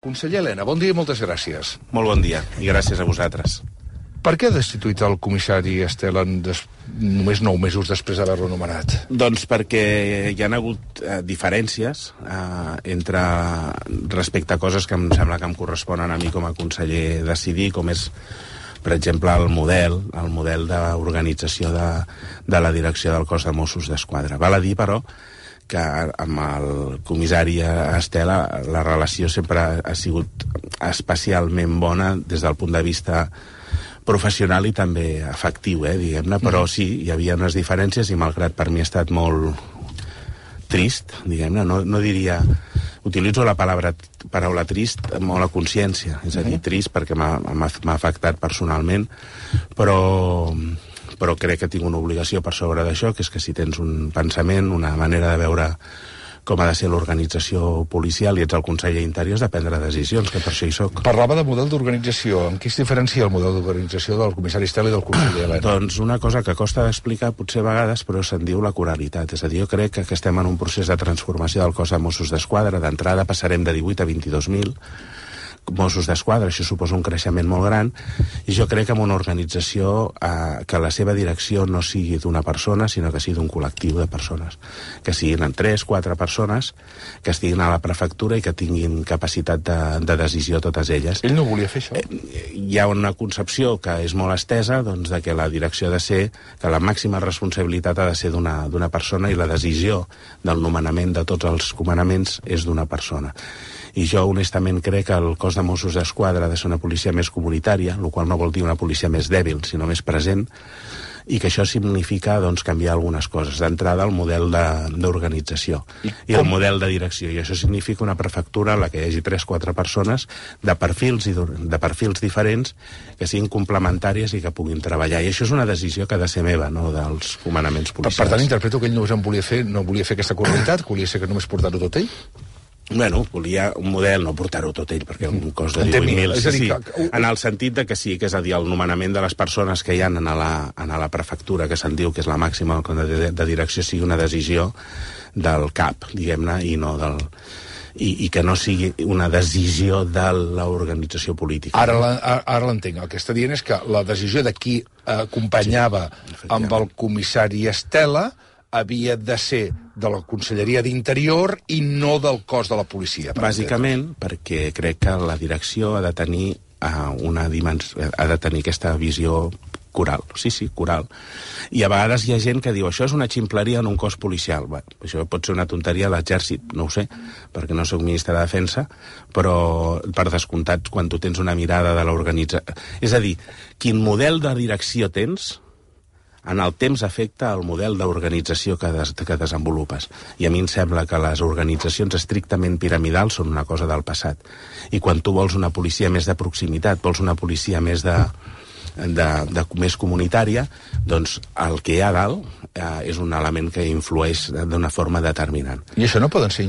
Conseller Elena, bon dia i moltes gràcies. Molt bon dia, i gràcies a vosaltres. Per què ha destituït el comissari Estela només 9 mesos després d'haver-lo nomenat? Doncs perquè hi ha hagut diferències respecte a coses que em sembla que em corresponen a mi com a conseller decidir, com és, per exemple, el model d'organització de la direcció del cos de Mossos d'Esquadra. Val a dir, però, que amb el comissari Estela la relació sempre ha sigut especialment bona des del punt de vista professional i també afectiu, diguem-ne, però sí, hi havia unes diferències i malgrat per mi ha estat molt trist, diguem-ne, no diria... Utilitzo la paraula trist molt a consciència, és a dir, trist perquè m'ha afectat personalment, però crec que tinc una obligació per sobre d'això, que és que si tens un pensament, una manera de veure com ha de ser l'organització policial i ets el conseller d'Interior, has de prendre decisions, que per això hi soc. Parlava de model d'organització. En què es diferencia el model d'organització del comissari Estela i del conseller Elena? Doncs una cosa que costa d'explicar potser a vegades, però se'n diu la coralitat. És a dir, jo crec que estem en un procés de transformació del cos de Mossos d'Esquadra. D'entrada passarem de 18 a 22.000 Mossos d'Esquadra, això suposa un creixement molt gran, i jo crec que en una organització que la seva direcció no sigui d'una persona, sinó que sigui d'un col·lectiu de persones, que siguin en 3, 4 persones, que estiguin a la prefectura i que tinguin capacitat de decisió totes elles. Ell no volia fer això? Hi ha una concepció que és molt estesa, doncs, de que la direcció ha de ser, que la màxima responsabilitat ha de ser d'una persona i la decisió del nomenament de tots els comandaments és d'una persona. I jo honestament crec que el cos de Mossos d'Esquadra ha de ser una policia més comunitària, el qual no vol dir una policia més dèbil, sinó més present, i que això significa doncs, canviar algunes coses. D'entrada, el model d'organització i el model de direcció. I això significa una prefectura en la que hi hagi 3-4 persones de perfils diferents que siguin complementàries i que puguin treballar. I això és una decisió que ha de ser meva, no dels comandaments policials. Per tant, interpreto que ell no volia fer aquesta coralitat, que volia ser que només portar-ho tot ell? Bueno, volia un model, no portar-ho tot ell, perquè un cos de 18.000... Sí, en el sentit de que sí, que és a dir, el nomenament de les persones que hi ha a la prefectura, que se'n diu que és la màxima de direcció, sigui una decisió del cap, diguem-ne, i no del... I que no sigui una decisió de l'organització política. Ara l'entenc. El que està dient és que la decisió de qui acompanyava amb el comissari Estela havia de ser de la Conselleria d'Interior i no del cos de la policia. Bàsicament, perquè crec que la direcció ha de tenir aquesta visió coral. Sí, coral. I a vegades hi ha gent que diu això és una ximpleria en un cos policial. Bé, això pot ser una tonteria a l'exèrcit, no ho sé, perquè no soc ministre de Defensa, però per descomptat, quan tu tens una mirada de l'organització... És a dir, quin model de direcció tens en el temps afecta el model d'organització que desenvolupes. I a mi em sembla que les organitzacions estrictament piramidals són una cosa del passat. I quan tu vols una policia més de proximitat, vols una policia més més comunitària, doncs el que hi ha a dalt és un element que influeix d'una forma determinant. I això no poden ser,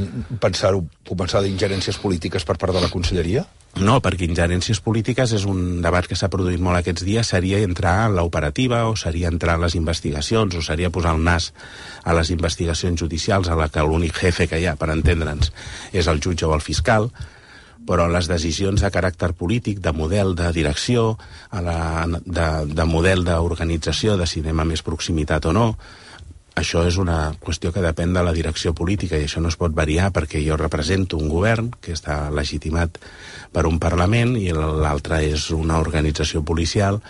començar d'ingerències polítiques per part de la Conselleria? No, perquè ingerències polítiques és un debat que s'ha produït molt aquests dies, seria entrar en l'operativa, o seria entrar en les investigacions, o seria posar el nas a les investigacions judicials, a la que l'únic jefe que hi ha, per entendre'ns, és el jutge o el fiscal, però les decisions de caràcter polític, de model de direcció, de model d'organització, de si anem a més proximitat o no, això és una qüestió que depèn de la direcció política i això no es pot variar perquè jo represento un govern que està legitimat per un Parlament i l'altre és una organització policial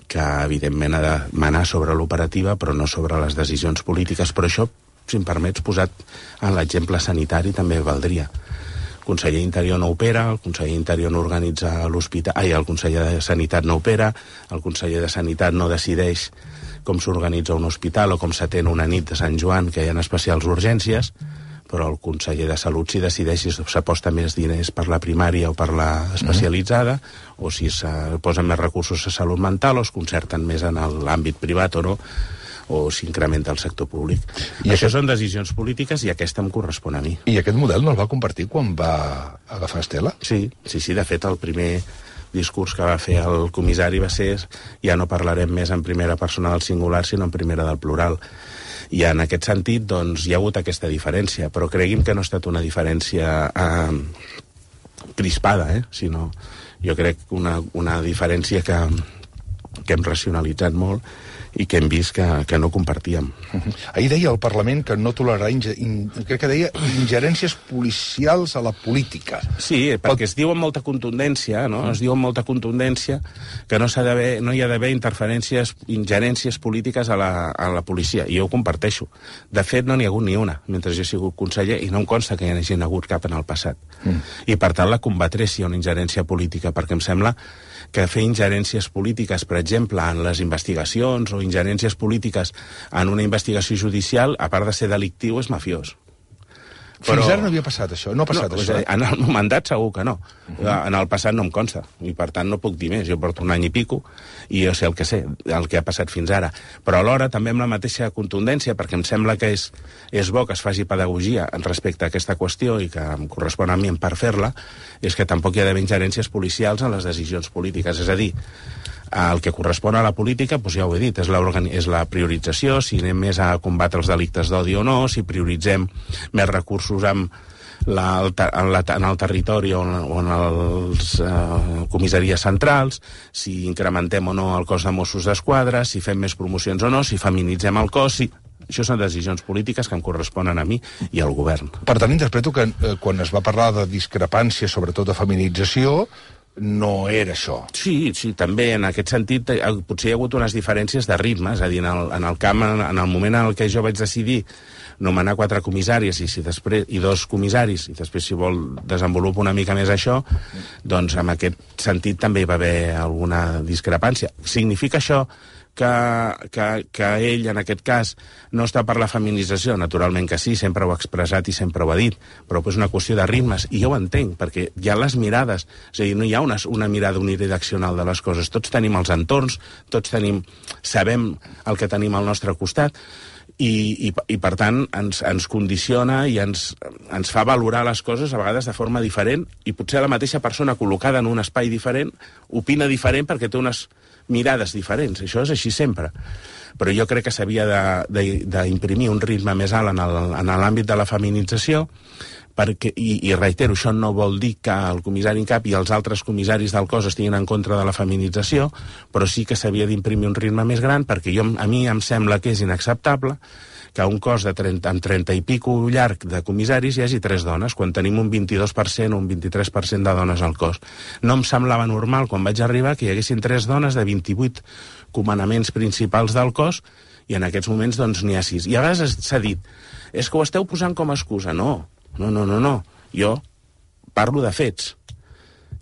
que evidentment ha de manar sobre l'operativa però no sobre les decisions polítiques. Però això, si em permets, posat en l'exemple sanitari també valdria. El conseller d'Interior no opera, el conseller d'Interior no organitza l'hospital, el conseller de Sanitat no opera, el conseller de Sanitat no decideix com s'organitza un hospital o com s'atén una nit de Sant Joan, que hi ha especials urgències, però el conseller de Salut si decideix si s'aposta més diners per la primària o per la especialitzada, o si es posen més recursos a salut mental, o es concerten més en l'àmbit privat o no, o s'incrementa el sector públic. I això són decisions polítiques i aquesta em correspon a mi. I aquest model no el va compartir quan va agafar Estela? Sí, de fet el primer discurs que va fer el comissari va ser ja no parlarem més en primera persona del singular sinó en primera del plural. I en aquest sentit doncs hi ha hagut aquesta diferència, però cregui'm que no ha estat una diferència crispada, sinó jo crec una diferència que hem racionalitzat molt i que hem vist que no compartíem. Ahir deia el Parlament que no tolerarà, crec que deia, ingerències policials a la política. Sí, perquè es diu amb molta contundència, no? Es diu amb molta contundència que no hi ha d'haver ingerències polítiques a la policia, i jo ho comparteixo. De fet, no n'hi ha hagut ni una, mentre jo he sigut conseller, i no em consta que hi hagi hagut cap en el passat. I per tant la combatré si hi ha una ingerència política, perquè em sembla que fer ingerències polítiques, per exemple, en les investigacions o ingerències polítiques en una investigació judicial, a part de ser delictiu, és mafiós. Fins ara no havia passat això, no ha passat això. En el meu mandat segur que no. En el passat no em consta, i per tant no puc dir més. Jo porto un any i pico, i jo sé, el que ha passat fins ara. Però alhora també amb la mateixa contundència, perquè em sembla que és bo que es faci pedagogia respecte a aquesta qüestió, i que em correspon a mi en part fer-la, és que tampoc hi ha d'haver ingerències policials en les decisions polítiques. És a dir, el que correspon a la política, doncs ja ho he dit, és la priorització, si anem més a combatre els delictes d'odi o no, si prioritzem més recursos en el territori o en les comissaries centrals, si incrementem o no el cos de Mossos d'Esquadra, si fem més promocions o no, si feminitzem el cos, Això són decisions polítiques que em corresponen a mi i al govern. Per tant, interpreto que quan es va parlar de discrepància, sobretot de feminització, no era això. Sí, també en aquest sentit potser hi ha hagut unes diferències de ritme, és a dir, en el moment en què jo vaig decidir nomenar 4 comissaris i 2 comissaris, i després, si vol, desenvolupa una mica més això, doncs en aquest sentit també hi va haver alguna discrepància. Significa això que ell, en aquest cas, no està per la feminització? Naturalment que sí, sempre ho ha expressat i sempre ho ha dit, però és una qüestió de ritmes, i jo ho entenc, perquè hi ha les mirades, és a dir, no hi ha una mirada unidireccional de les coses, tots tenim els entorns, sabem el que tenim al nostre costat, i per tant ens condiciona i ens fa valorar les coses a vegades de forma diferent, i potser la mateixa persona col·locada en un espai diferent opina diferent perquè té unes mirades diferents. Això és així sempre, però jo crec que s'havia d'imprimir un ritme més alt en l'àmbit de la feminització, perquè, i reitero, això no vol dir que el comissari en cap i els altres comissaris del cos estiguin en contra de la feminització, però sí que s'havia d'imprimir un ritme més gran, perquè a mi em sembla que és inacceptable que un cos amb 30 i pico llarg de comissaris hi hagi 3 dones, quan tenim un 22% o un 23% de dones al cos. No em semblava normal, quan vaig arribar, que hi haguessin 3 dones de 28 comandaments principals del cos, i en aquests moments doncs n'hi ha 6. I a vegades s'ha dit, és que ho esteu posant com a excusa. No. Jo parlo de fets.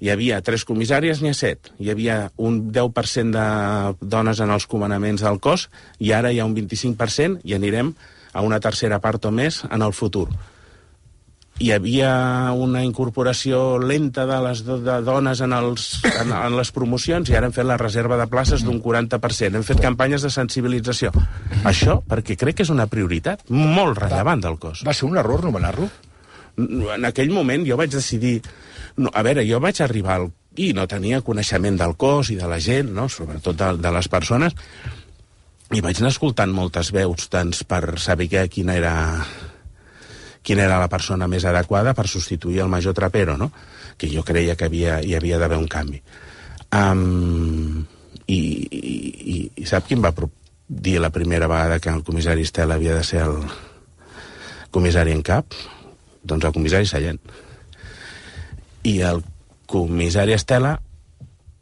Hi havia 3 comissàries, n'hi ha 7. Hi havia un 10% de dones en els comandaments del cos, i ara hi ha un 25%, i anirem a una tercera part o més en el futur. Hi havia una incorporació lenta de dones en les promocions, i ara hem fet la reserva de places d'un 40%. Hem fet campanyes de sensibilització. Això perquè crec que és una prioritat molt rellevant del cos. Va ser un error nomenar-lo? En aquell moment jo vaig decidir... A veure, jo vaig arribar i no tenia coneixement del cos i de la gent, no? Sobretot de les persones, i vaig anar escoltant moltes veus per saber quina era la persona més adequada per substituir el major Trapero, no? Que jo creia que hi havia d'haver un canvi. I sap qui em va dir la primera vegada que el comissari Estela havia de ser el comissari en cap? Doncs el comissari Sallent. I el comissari Estela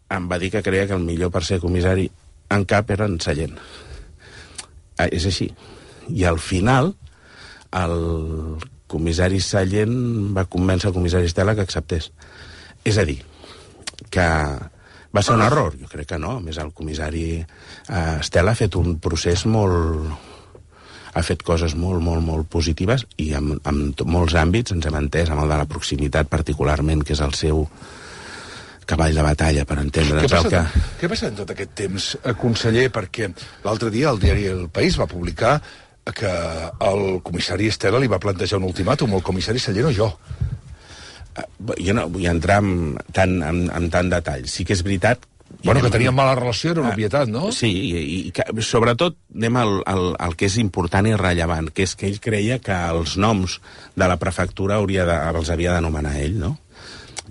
em va dir que creia que el millor per ser comissari en cap era en Sallent. És així. I al final el comissari Sallent va convèncer el comissari Estela que acceptés. És a dir, que va ser un error? Jo crec que no. A més, el comissari Estela ha fet un procés ha fet coses molt positives, i en molts àmbits ens hem entès, amb el de la proximitat particularment, que és el seu cavall de batalla, per entendre'ns. Què ha passat en tot aquest temps, conseller? Perquè l'altre dia el diari El País va publicar que el comissari Estela li va plantejar un ultimàtum, el comissari Sallent o jo. Jo no vull entrar en tant detall. Sí que és veritat... Bueno, que teníem mala relació, era una obvietat, no? Sí, i sobretot anem al que és important i rellevant, que és que ell creia que els noms de la prefectura els havia de nomenar ell, no?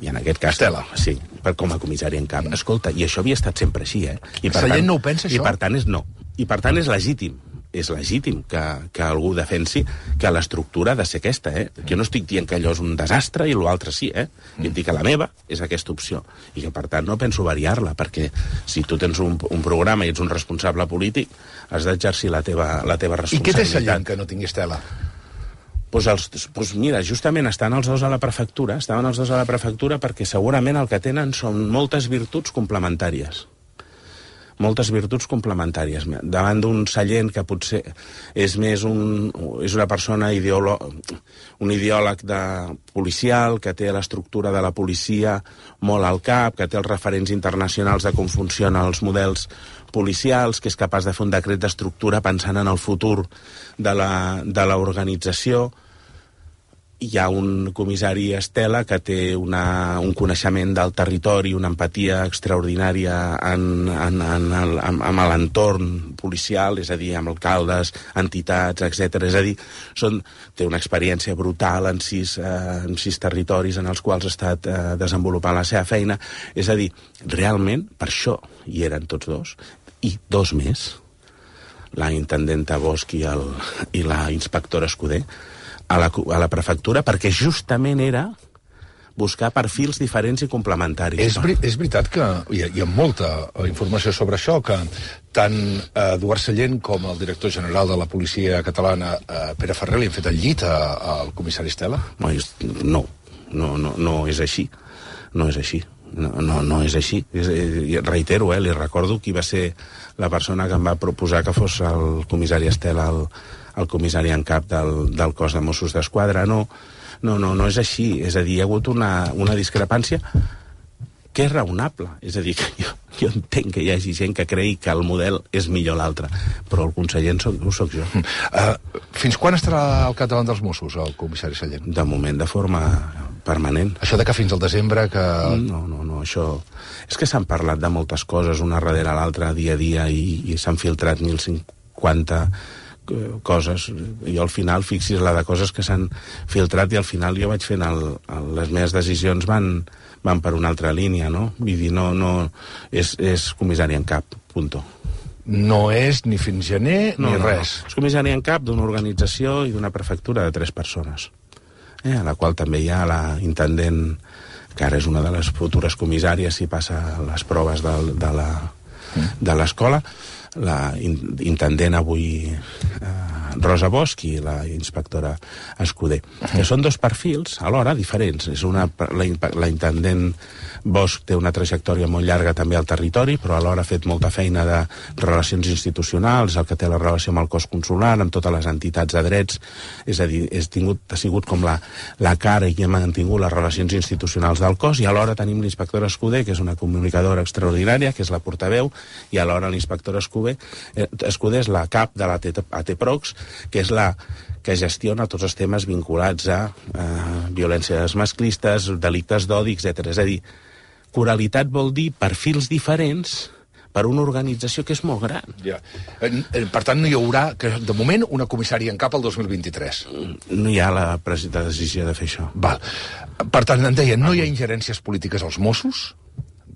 I en aquest cas... Estela. Sí, com a comissari en cap. Escolta, i això havia estat sempre així, I per Sallent no ho pensa, això? I per tant és legítim. És legítim que algú defensi que l'estructura ha de ser aquesta, Jo no estic dient que allò és un desastre i l'altre sí, Jo et dic que la meva és aquesta opció. I que, per tant, no penso variar-la, perquè si tu tens un programa i ets un responsable polític, has d'exercir la teva responsabilitat. I què té Sallent que no tingui Estela? Doncs mira, justament estaven els dos a la prefectura perquè segurament el que tenen són moltes virtuts complementàries. Davant d'un Sallent que potser és més és una persona un ideòleg policial, que té l'estructura de la policia molt al cap, que té els referents internacionals de com funcionen els models policials, que és capaç de fer un decret d'estructura pensant en el futur de l'organització. Hi ha un comissari Estela que té un coneixement del territori, una empatia extraordinària amb l'entorn policial, és a dir, amb alcaldes, entitats, etc. És a dir, té una experiència brutal en 6 territoris en els quals ha estat desenvolupant la seva feina. És a dir, realment, per això hi eren tots dos, i 2 més, la intendenta Bosch i la inspectora Escudé, a la prefectura, perquè justament era buscar perfils diferents i complementaris. És veritat que hi ha molta informació sobre això, que tant Eduard Sallent com el director general de la policia catalana, Pere Ferrer, li han fet el llit al comissari Estela? No és així. No és així. No és així. Reitero, li recordo qui va ser la persona que em va proposar que fos el comissari Estela el comissari en cap del cos de Mossos d'Esquadra. No és així. És a dir, hi ha hagut una discrepància que és raonable. És a dir, que jo entenc que hi hagi gent que cregui que el model és millor l'altre, però el conseller ho soc jo. Fins quan estarà al capdavant dels Mossos, el comissari Sallent? De moment, de forma permanent. Això de que fins al desembre que... No, això... És que s'han parlat de moltes coses, una darrere l'altra, dia a dia, i s'han filtrat 1.050 coses. Jo al final, fixi's la de coses que s'han filtrat, i al final jo vaig fent les meves decisions van per una altra línia, no? Vull dir, és comissari en cap, punto. No és ni fins gener ni res. És comissari en cap d'una organització i d'una prefectura de 3 persones, a la qual també hi ha la intendent, que ara és una de les futures comissàries si passa les proves de l'escola, la intendent avui Rosa Bosch i la inspectora Escudé, que són 2 perfils alhora diferents. La intendent Bosch té una trajectòria molt llarga també al territori, però alhora ha fet molta feina de relacions institucionals, el que té la relació amb el cos consular, amb totes les entitats de drets, és a dir, ha sigut com la cara i ha mantingut les relacions institucionals del cos, i alhora tenim l'inspectora Escudé, que és una comunicadora extraordinària, que és la portaveu, i alhora l'inspectora Escudé és la cap de la ATPROX, que és la que gestiona tots els temes vinculats a violències masclistes, delictes d'odi, etc. És a dir, coralitat vol dir perfils diferents per una organització que és molt gran. Ja. Per tant, no hi haurà, de moment, una comissària en cap el 2023. No hi ha la decisió de fer això. Val. Per tant, em deia, no hi ha ingerències polítiques als Mossos?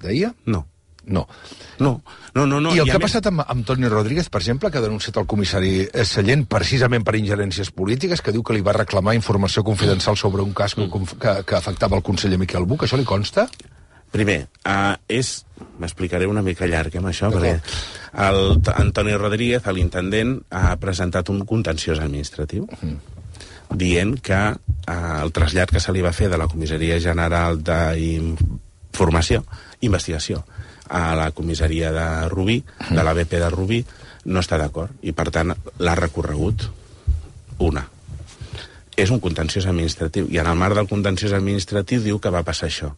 Deia? No. No. I el que ha passat amb Toni Rodríguez, per exemple, que ha denunciat el comissari Sallent precisament per ingerències polítiques, que diu que li va reclamar informació confidencial sobre un cas que afectava el conseller Miquel Buch, això li consta? Primer, m'explicaré una mica llarg amb això, perquè Antoni Rodríguez, l'intendent, ha presentat un contenciós administratiu dient que el trasllat que se li va fer de la Comissaria General d'Investigació a la comissaria de Rubí, de la BP de Rubí, no està d'acord, i per tant l'ha recorregut. És un contenciós administratiu, i en el marc del contenciós administratiu diu que va passar això.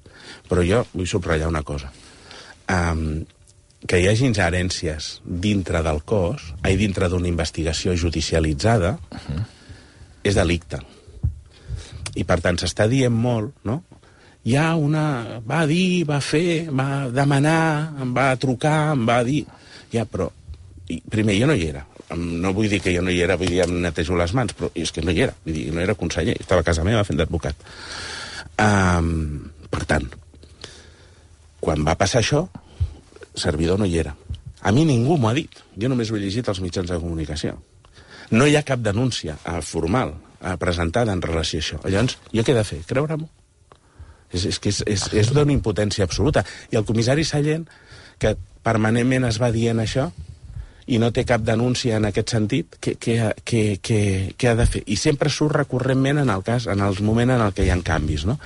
Però jo vull subratllar una cosa. Que hi hagi ingerències dintre del cos, dintre d'una investigació judicialitzada, és delicte. I per tant s'està dient molt, no? Hi ha va dir, va fer, va demanar, em va trucar, em va dir... Ja, però, primer, jo no hi era. No vull dir que jo no hi era, vull dir, em netejo les mans, però és que no hi era. Vull dir, no era conseller, estava a casa meva fent d'advocat. Per tant, quan va passar això, servidor no hi era. A mi ningú m'ho ha dit. Jo només ho he llegit als mitjans de comunicació. No hi ha cap denúncia formal presentada en relació a això. Llavors, jo què he de fer? Creure-m'ho? És d'una impotència absoluta. I el comissari Sallent, que permanentment es va dient això, i no té cap denúncia en aquest sentit, què ha de fer? I sempre surt recurrentment en el moment en què hi ha canvis, no?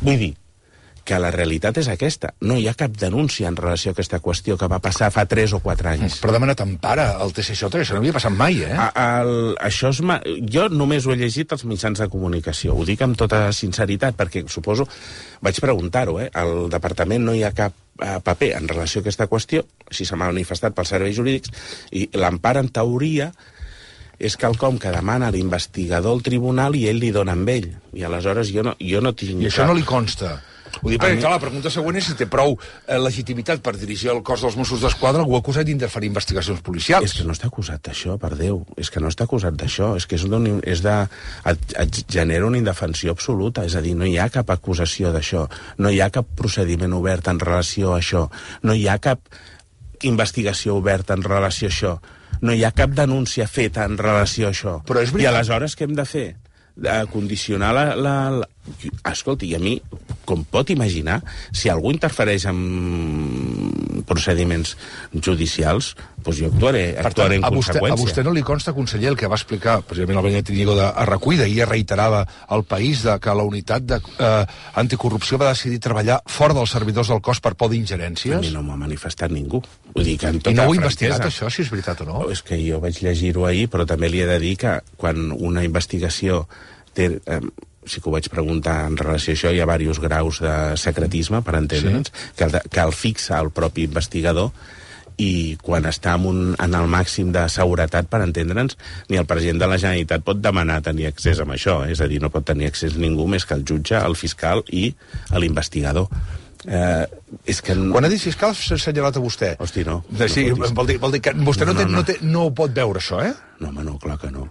Vull dir que la realitat és aquesta. No hi ha cap denúncia en relació a aquesta qüestió que va passar fa 3 o 4 anys. Però demanat empara al TSJ, que això no havia passat mai, Jo només ho he llegit als mitjans de comunicació. Ho dic amb tota sinceritat, perquè suposo, vaig preguntar-ho, al departament no hi ha cap paper en relació a aquesta qüestió, així se m'ha manifestat pels serveis jurídics, i l'empara, en teoria, és quelcom que demana l'investigador al tribunal i ell li dona amb ell. I aleshores jo no tinc... I això no li consta? Ho dic perquè, clar, la pregunta següent és si té prou legitimitat per dirigir el cos dels Mossos d'Esquadra algú acusat d'interferir investigacions policials. És que no està acusat d'això, per Déu. És que no està acusat d'això. És que et genera una indefensió absoluta. És a dir, no hi ha cap acusació d'això. No hi ha cap procediment obert en relació a això. No hi ha cap investigació oberta en relació a això. No hi ha cap denúncia feta en relació a això. Però és veritat. I aleshores què hem de fer? Condicionar Escolti, i a mi, com pot imaginar, si algú interfereix en procediments judicials, doncs jo actuaré en conseqüència. A vostè no li consta, conseller, el que va explicar precisament el Benet Íñigo de Arracuida, i reiterava al País que la unitat anticorrupció va decidir treballar fora dels servidors del cos per por d'ingerències? A mi no m'ha manifestat ningú. Vull dir que amb tota I no ho ha investigat, això, si és veritat o no? És que jo vaig llegir-ho ahir, però també li he de dir que quan una investigació té... sí que ho vaig preguntar en relació a això, hi ha diversos graus de secretisme, per entendre'ns, que el fixa el propi investigador, i quan està en el màxim de seguretat, per entendre'ns, ni el president de la Generalitat pot demanar tenir accés a això, és a dir, no pot tenir accés ningú més que el jutge, el fiscal i l'investigador. És que... Quan ha dit fiscal s'ha assenyalat a vostè. Hosti, no. Sí, vol dir que vostè no ho pot veure, això, No, home, no, clar que no.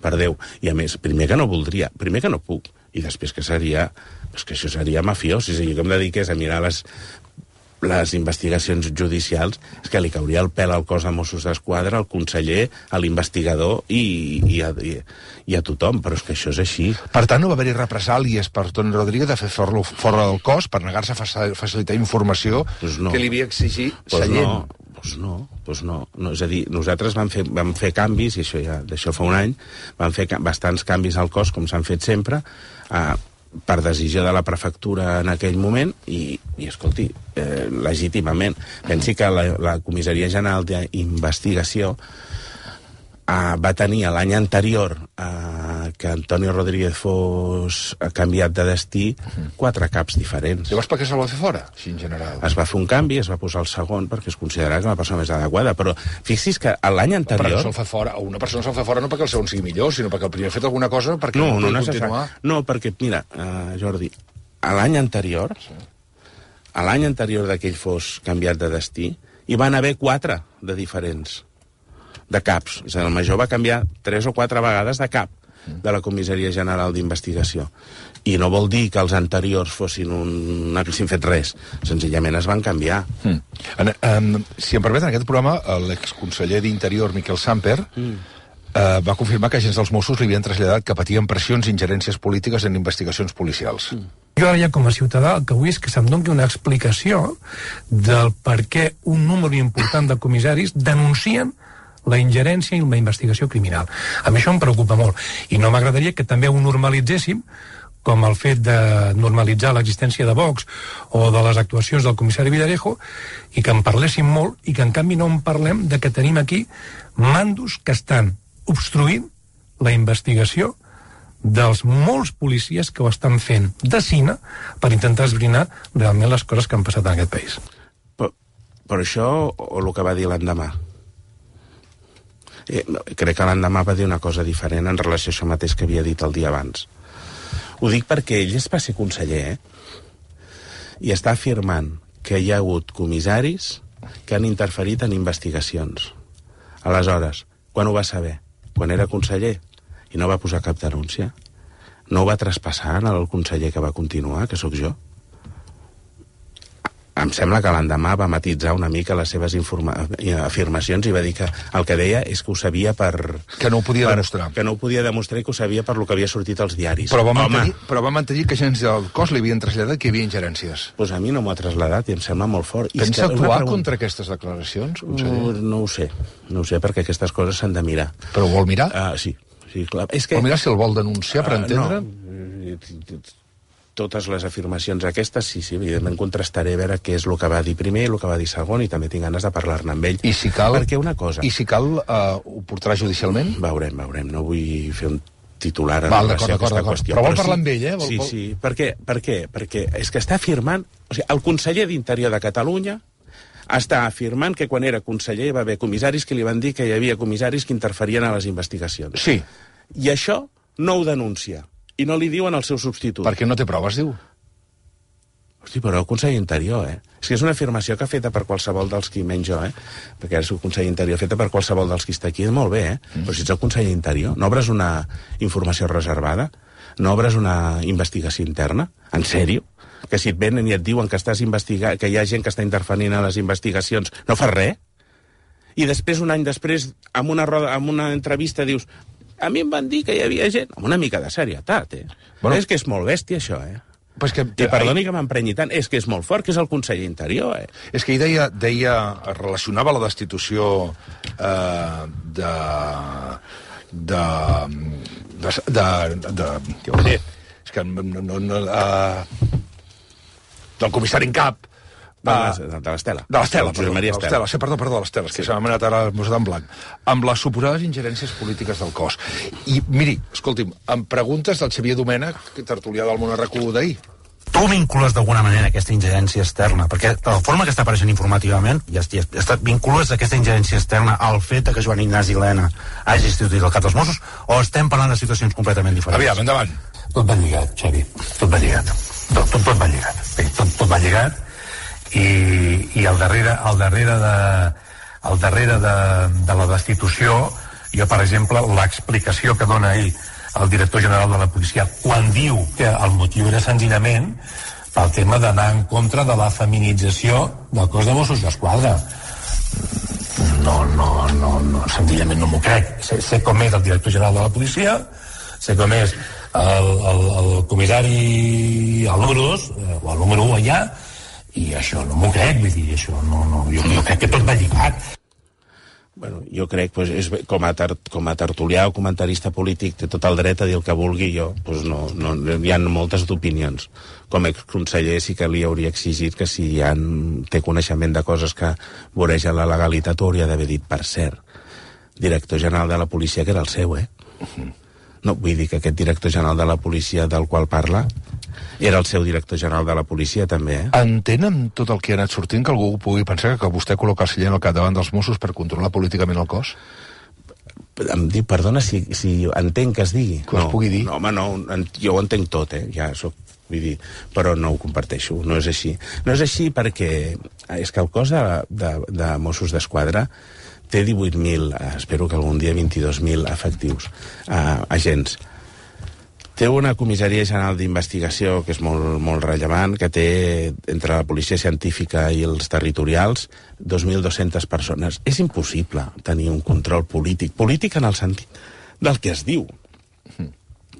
Per Déu. I a més, primer que no voldria, primer que no puc, i després que seria... És que això seria mafiós, és a dir, que em dediqués a mirar les investigacions judicials, és que li cauria el pèl al cos de Mossos d'Esquadra, al conseller, a l'investigador i a tothom, però és que això és així. Per tant, no va haver-hi represàlies per Toni Rodríguez de fer fora del cos per negar-se a facilitar informació que li havia exigit Sallent? Doncs no. És a dir, nosaltres vam fer canvis, i d'això fa un any, vam fer bastants canvis al cos, com s'han fet sempre, per decisió de la prefectura en aquell moment, i escolti, legítimament. Pensi que la Comissaria General d'Investigació va tenir l'any anterior que Antonio Rodríguez fos canviat de destí 4 caps diferents. Llavors per què se'l va fer fora, així en general? Es va fer un canvi, es va posar el segon perquè es considerava que la persona més adequada, però fixi's que l'any anterior... Però se'l fa fora, una persona se'l fa fora no perquè el segon sigui millor, sinó perquè el primer ha fet alguna cosa perquè no pugui continuar. No, perquè, mira, Jordi, l'any anterior de que ell fos canviat de destí, hi van haver 4 de diferents de caps. És a dir, el major va canviar 3 o 4 vegades de cap de la Comissaria General d'Investigació. I no vol dir que els anteriors no haguessin fet res. Senzillament es van canviar. Si em permet, en aquest programa, l'exconseller d'Interior, Miquel Samper, va confirmar que agents dels Mossos li havien traslladat que patien pressions i ingerències polítiques en investigacions policials. Jo ara ja com a ciutadà el que vull és que se'm doni una explicació del per què un número important de comissaris denuncien la ingerència i la investigació criminal. A mi això em preocupa molt. I no m'agradaria que també ho normalitzéssim, com el fet de normalitzar l'existència de Vox o de les actuacions del comissari Villarejo, i que en parléssim molt, i que en canvi no en parlem de que tenim aquí mandos que estan obstruint la investigació dels molts policies que ho estan fent de cine per intentar esbrinar realment les coses que han passat en aquest país. Però això o el que va dir l'endemà? Crec que l'endemà va dir una cosa diferent en relació a això mateix que havia dit el dia abans. Ho dic perquè ell va ser conseller, i està afirmant que hi ha hagut comissaris que han interferit en investigacions. Aleshores, quan ho va saber? Quan era conseller, i no va posar cap denúncia. No ho va traspassar al conseller que va continuar, que sóc jo. em sembla que l'endemà va matitzar una mica les seves afirmacions i va dir que el que deia és que ho sabia per... Que no ho podia demostrar. Que no ho podia demostrar i que ho sabia per lo que havia sortit als diaris. Però va mantenir que gens del cos li havien traslladat que hi havia ingerències. Doncs a mi no m'ho ha traslladat i em sembla molt fort. Pensa actuar contra aquestes declaracions, conseller? No ho sé, perquè aquestes coses s'han de mirar. Però ho vol mirar? Sí, clar. Vol mirar si el vol denunciar per entendre? No. Totes les afirmacions aquestes, sí, evidentment contrastaré a veure què és el que va dir primer, el que va dir segon, i també tinc ganes de parlar-ne amb ell. I si cal, perquè una cosa... I si cal, ho portarà judicialment? Veurem. No vull fer un titular en relació a aquesta qüestió. Però vol parlar amb ell, Sí. Per què? Perquè és que està afirmant... O sigui, el conseller d'Interior de Catalunya està afirmant que quan era conseller va haver comissaris que li van dir que hi havia comissaris que interferien a les investigacions. Sí. I això no ho denuncia. I no li diuen al seu substitut. Perquè no té proves, diu. Hosti, però el conseller Interior, És que és una afirmació que ha feta per qualsevol dels qui, menys jo, Perquè ara soc conseller Interior, feta per qualsevol dels qui està aquí, és molt bé, Però si ets el conseller Interior, no obres una informació reservada? No obres una investigació interna? En sèrio? Que si et venen i et diuen que estàs investigant, que hi ha gent que està interferint a les investigacions, no fas res? I després, un any després, amb una entrevista, dius... A mi em van dir que hi havia gent... Amb una mica de serietat, Bueno, és que és molt bèstia, això, Pues que, I perdoni que m'emprenyi tant, és que és molt fort, que és el conseller Interior, És que ell relacionava la destitució què vol dir? És que del comissari en cap de l'Estela. De l'Estela, perdó, l'Estela, que s'ha anat ara en blanc. Amb les suposades ingerències polítiques del cos. I, miri, escolti'm, amb preguntes del Xavier Domènech, tertulià del Món RQ d'ahir. Tu vincules d'alguna manera aquesta ingerència externa, perquè de la forma que està apareixent informativament, vincules aquesta ingerència externa al fet que Joan Ignasi Elena hagi instituït el cap dels Mossos, o estem parlant de situacions completament diferents? Aviam, endavant. Tot va lligat, Xavi, tot va lligat. Tot va lligat. Tot va lligat. I al darrere de la destitució, jo, per exemple, l'explicació que dona ahir el director general de la policia, quan diu que el motiu era senzillament pel tema d'anar en contra de la feminització del cos de Mossos d'Esquadra. No, senzillament no m'ho crec. Sé com és el director general de la policia, sé com és el comissari, el número 2, o el número 1 allà, i això no m'ho crec, vull dir, això jo crec que tot va lligat. Bueno, jo crec, com a tertulià o comentarista polític, té tot el dret a dir el que vulgui, hi ha moltes d'opinions. Com a exconseller sí que li hauria exigit que si té coneixement de coses que voregen la legalitat, ho hauria d'haver dit, per cert. Director general de la policia, que era el seu, No, vull dir que aquest director general de la policia del qual parla era el seu director general de la policia, també, Entenen tot el que ha anat sortint que algú pugui pensar que vostè col·loca-se al capdavant dels Mossos per controlar políticament el cos? Em dic, perdona si entenc que es digui. Que es pugui dir? No, home, no, jo ho entenc tot, ja soc, vull dir, però no ho comparteixo, no és així. No és així perquè és que el cos de Mossos d'Esquadra té 18.000, espero que algun dia 22.000 efectius, agents. Té una comissaria general d'investigació que és molt rellevant, que té, entre la policia científica i els territorials, 2.200 persones. És impossible tenir un control polític en el sentit del que es diu.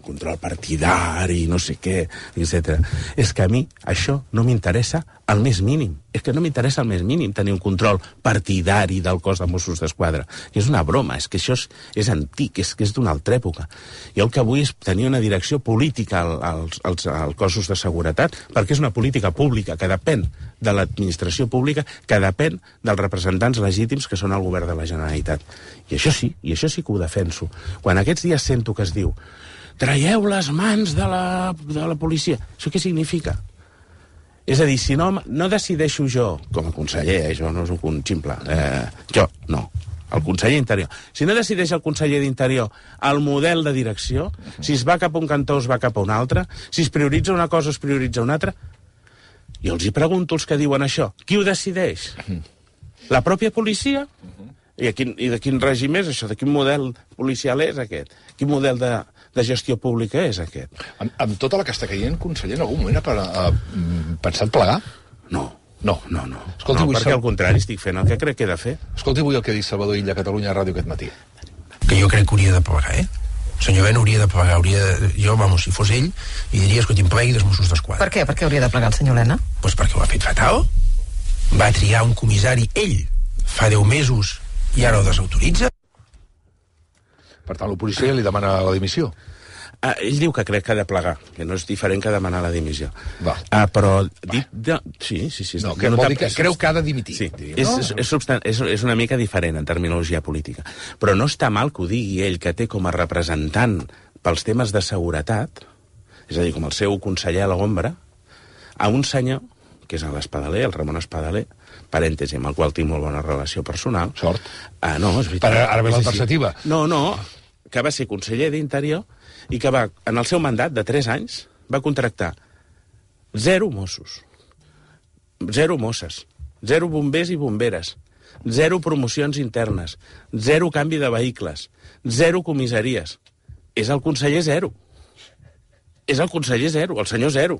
Control partidari, no sé què, etc. És que a mi això no m'interessa al més mínim. És que no m'interessa al més mínim tenir un control partidari del cos de Mossos d'Esquadra. Que és una broma, és que això és antic, és que és d'una altra època. Jo el que vull és tenir una direcció política als cossos de seguretat, perquè és una política pública que depèn de l'administració pública, que depèn dels representants legítims que són el govern de la Generalitat. I això sí que ho defenso. Quan aquests dies sento que es diu traieu les mans de la policia. Això què significa? És a dir, si no decideixo jo, com a conseller, jo no soc un ximple, jo, no, el conseller Interior. Si no decideix el conseller d'Interior el model de direcció, si es va cap a un cantó o es va cap a un altre, si es prioritza una cosa o es prioritza una altra, jo els hi pregunto els que diuen això, qui ho decideix? La pròpia policia? I de quin règim és això? De quin model policial és aquest? Quin model de gestió pública és aquest? Amb tota la que està caient, conseller, en algun moment ha pensat plegar? No. No. Escolti, perquè al contrari estic fent el que crec que he de fer. Escolti avui el que ha dit Salvador Illa a Catalunya Ràdio aquest matí. Que jo crec que hauria de plegar, El senyor Ben hauria de plegar, jo, si fos ell, li diria, escolti'm, plegui dels Mossos d'Esquadra. Per què? Per què hauria de plegar el senyor Elena? Doncs perquè ho ha fet fatal. Va triar un comissari, ell, fa 10 mesos, i ara ho desautoritza. Per tant, l'oposició ja li demana la dimissió. Ell diu que crec que ha de plegar, que no és diferent que demanar la dimissió. Però dit... Sí. No, que vol dir que creu que ha de dimitir. Sí, és una mica diferent en terminologia política. Però no està mal que ho digui ell, que té com a representant pels temes de seguretat, és a dir, com el seu conseller a l'ombra, a un senyor, que és l'Espadaler, el Ramon Espadaler, parèntesi, amb el qual tinc molt bona relació personal. Sort. No, és veritat. Ara ve l'adversativa. No, que va ser conseller d'Interior i que va, en el seu mandat de 3 anys, va contractar 0 Mossos, 0 Mosses, 0 bombers i bomberes, 0 promocions internes, 0 canvi de vehicles, 0 comissaries. És el conseller 0. És el conseller 0, el senyor 0.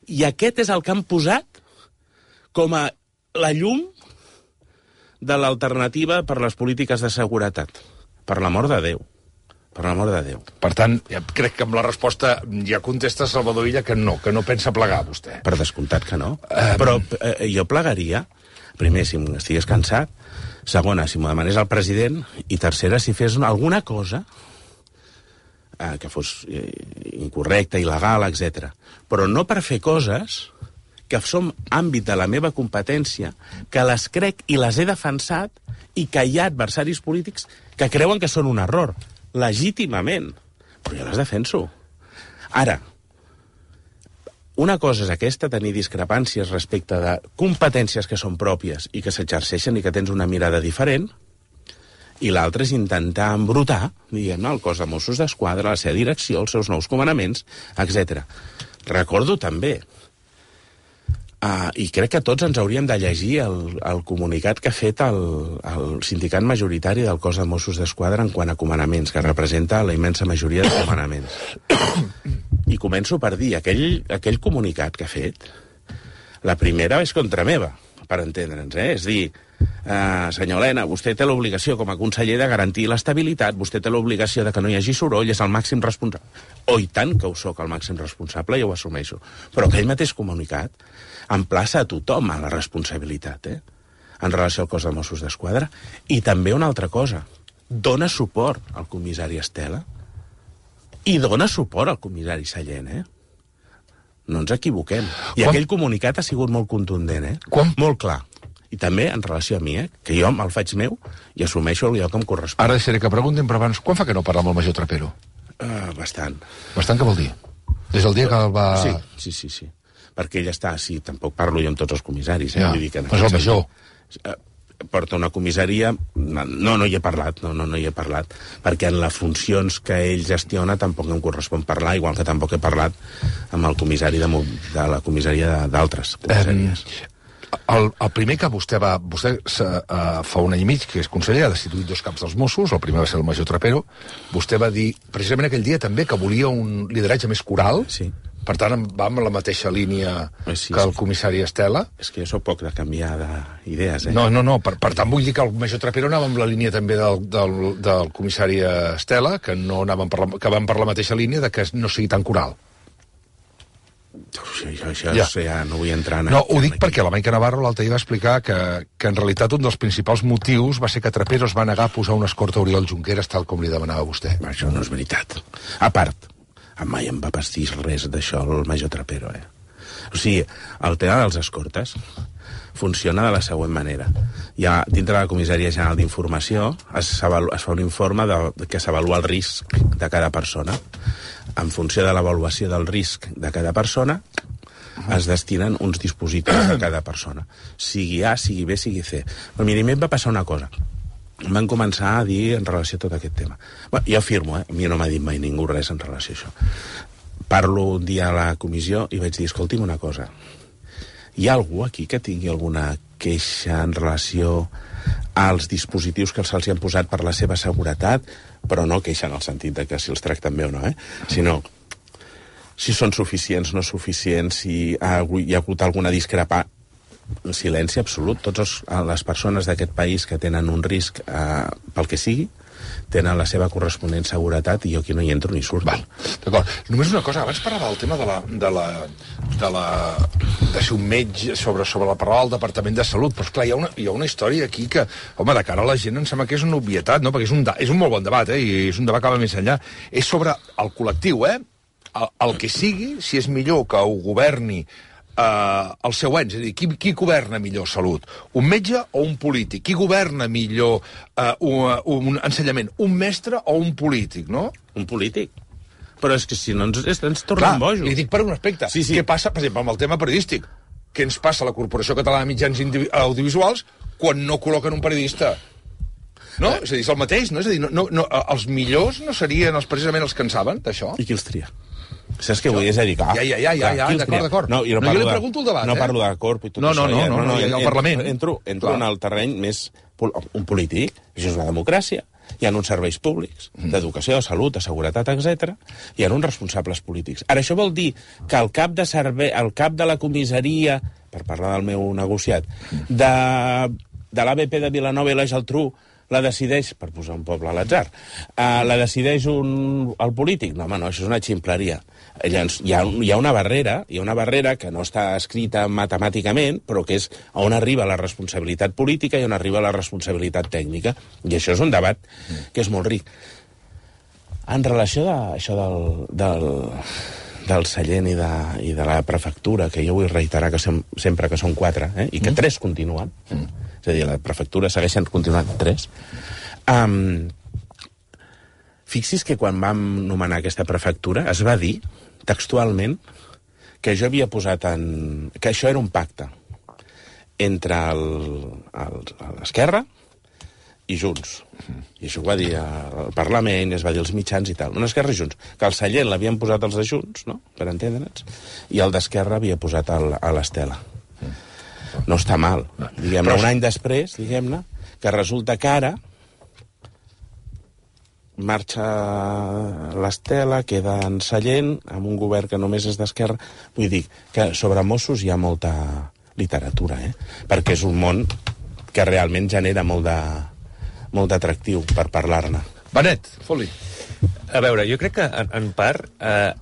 I aquest és el que han posat com a la llum de l'alternativa per les polítiques de seguretat. Per l'amor de Déu. Per l'amor de Déu. Per tant, crec que amb la resposta ja contesta Salvador Illa que no pensa plegar, vostè. Per descomptat que no. Però jo plegaria, primer, si estigués cansat, segona, si m'ho demanés el president, i tercera, si fes alguna cosa que fos incorrecta, il·legal, etc. Però no per fer coses que són àmbit de la meva competència, que les crec i les he defensat, i que hi ha adversaris polítics que creuen que són un error, legítimament. Però jo les defenso. Ara, una cosa és aquesta, tenir discrepàncies respecte de competències que són pròpies i que s'exerceixen i que tens una mirada diferent, i l'altra és intentar embrutar, diguem-ne, el cos de Mossos d'Esquadra, la seva direcció, els seus nous comandaments, etc. Recordo també, i crec que tots ens hauríem de llegir el comunicat que ha fet el sindicat majoritari del cos de Mossos d'Esquadra en quant a comandaments, que representa la immensa majoria de comandaments. I començo per dir, aquell comunicat que ha fet, la primera és contra meva, per entendre'ns, És dir, senyor Elena, vostè té l'obligació com a conseller de garantir l'estabilitat, vostè té l'obligació de que no hi hagi soroll, és el màxim responsable. I tant que ho soc, el màxim responsable, i ho assumeixo. Però aquell mateix comunicat emplaça a tothom a la responsabilitat, en relació al cos de Mossos d'Esquadra. I també una altra cosa, dona suport al comissari Estela i dona suport al comissari Sallent, No ens equivoquem. I aquell comunicat ha sigut molt contundent, Molt clar. I també en relació a mi, que jo me'l faig meu i assumeixo allò que em correspon. Ara deixaré que preguntin, però abans, quan fa que no parla amb el major Trapero? Bastant. Bastant, què vol dir? Des del dia que el va... Sí. Perquè ell està, tampoc parlo jo amb tots els comissaris, Ja, vull dir que és el major. Porta una comissaria... No hi he parlat, no hi he parlat, perquè en les funcions que ell gestiona tampoc em correspon parlar, igual que tampoc he parlat amb el comissari de la comissaria d'altres comissaries. El primer que vostè fa un any i mig, que és conseller, ha destituït 2 caps dels Mossos, el primer va ser el major Trapero, vostè va dir, precisament aquell dia també, que volia un lideratge més coral, sí. Per tant va amb la mateixa línia que el comissari Estela. És que jo sóc poc de canviar d'idees, No, per tant vull dir que el major Trapero anava amb la línia també del comissari Estela, que van per la mateixa línia de que no sigui tan coral. Això ja no vull entrar en... No, ho dic perquè la Maica Navarro l'altre dia va explicar que en realitat un dels principals motius va ser que Trapero es va negar a posar una escorta a Oriol Junqueras tal com li demanava vostè. Això no és veritat. A part, mai em va pastir res d'això el major Trapero, O sigui, el tema dels escortes funciona de la següent manera. Ja dintre de la Comissaria General d'Informació es fa un informe que s'avalua el risc de cada persona. En funció de l'avaluació del risc de cada persona es destinen uns dispositius a cada persona. Sigui A, sigui B, sigui C. Però mira, a mi em va passar una cosa. Em van començar a dir en relació a tot aquest tema. Jo afirmo, a mi no m'ha dit mai ningú res en relació a això. Parlo un dia a la comissió i vaig dir, escolti'm una cosa, hi ha algú aquí que tingui alguna queixa en relació als dispositius que se'ls han posat per la seva seguretat, però no queixa en el sentit de que si els tracten bé o no, sinó si són suficients, no suficients, si hi ha hagut alguna discrepància. silenci absolut. Totes les persones d'aquest país que tenen un risc pel que sigui, tenen la seva corresponent seguretat i jo aquí no hi entro ni surto. Val, d'acord. Només una cosa, abans parlava del tema de ser un metge, sobre parlar del Departament de Salut, però esclar, hi ha una història aquí que, home, de cara a la gent em sembla que és una obvietat, no? Perquè és un molt bon debat, i és un debat que va més enllà. És sobre el col·lectiu, el que sigui, si és millor que ho governi el seu ens, és a dir, qui governa millor Salut? Un metge o un polític? Qui governa millor un ensenyament? Un mestre o un polític, no? Un polític. Però és que si no ens tornem bojos. Li dic per un aspecte. Sí. Què passa, per exemple, amb el tema periodístic? Què ens passa a la Corporació Catalana de Mitjans Audiovisuals quan no col·loquen un periodista? No? És a dir, és el mateix, no? És a dir, els millors no serien precisament els que en saben, d'això? I qui els tria? Saps què vull? És a dir, Ja, d'acord. No, jo li pregunto el debat, no parlo de corp i tot això. No, al Parlament. Entro en el terreny més... Un polític, això és una democràcia. Hi ha uns serveis públics, d'educació, de salut, de seguretat, etc. Hi ha uns responsables polítics. Ara, això vol dir que el cap de la comissaria, per parlar del meu negociat, de l'ABP de Vilanova i la Geltrú, la decideix, per posar un poble a l'atzar, la decideix el polític? No, home, no, això és una ximpleria. Hi ha una barrera que no està escrita matemàticament, però que és on arriba la responsabilitat política i on arriba la responsabilitat tècnica. I això és un debat que és molt ric. En relació a això del Sallent i de la prefectura, que jo vull reiterar que sempre que són 4, i que 3 continuen, és a dir, la prefectura segueixen continuant 3, fixi's que quan vam nomenar aquesta prefectura es va dir, textualment, que jo havia posat que això era un pacte entre l'Esquerra i Junts. I això ho va dir al Parlament, es va dir als mitjans i tal. Una Esquerra i Junts. Que el Sallent l'havien posat els de Junts, no?, per entendre'ns, i el d'Esquerra havia posat a l'Estela. No està mal. Diguem-ne, un any després, diguem-ne, que resulta que ara marxa l'Estela, queda en Sallent, amb un govern que només és d'Esquerra. Vull dir que sobre Mossos hi ha molta literatura, perquè és un món que realment genera molt d'atractiu per parlar-ne. Benet, fot-li. A veure, jo crec que, en part,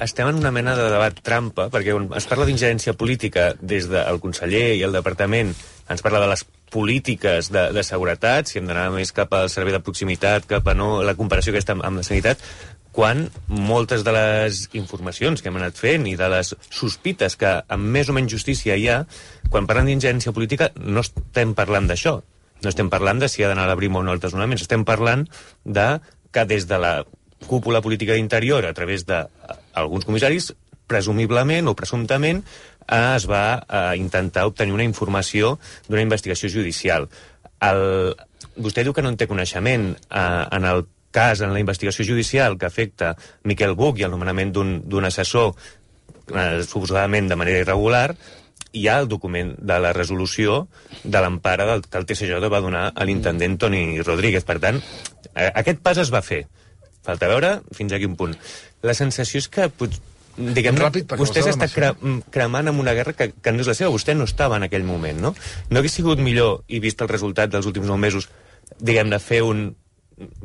estem en una mena de debat trampa, perquè on es parla d'ingerència política des del conseller i el departament, ens parla de les polítiques de seguretat, si hem d'anar més cap al servei de proximitat, cap a la comparació aquesta amb la sanitat, quan moltes de les informacions que hem anat fent i de les sospites que amb més o menys justícia hi ha, quan parlen d'ingerència política no estem parlant d'això. No estem parlant de si ha d'anar a la brima o no als desnonaments, estem parlant de que des de la cúpula política d'interior, a través d'alguns comissaris, presumiblement o presumptament, es va intentar obtenir una informació d'una investigació judicial. Vostè diu que no en té coneixement. En el cas, en la investigació judicial que afecta Miquel Buch i el nomenament d'un assessor, suposadament de manera irregular, hi ha el document de la resolució de l'empara que el TSJ va donar a l'intendent Toni Rodríguez. Per tant, aquest pas es va fer. Falta veure fins a quin punt. La sensació és que, vostè s'està cremant amb una guerra que no és la seva. Vostè no estava en aquell moment, no? No hagués sigut millor, i vist el resultat dels últims 9 mesos, diguem-ne,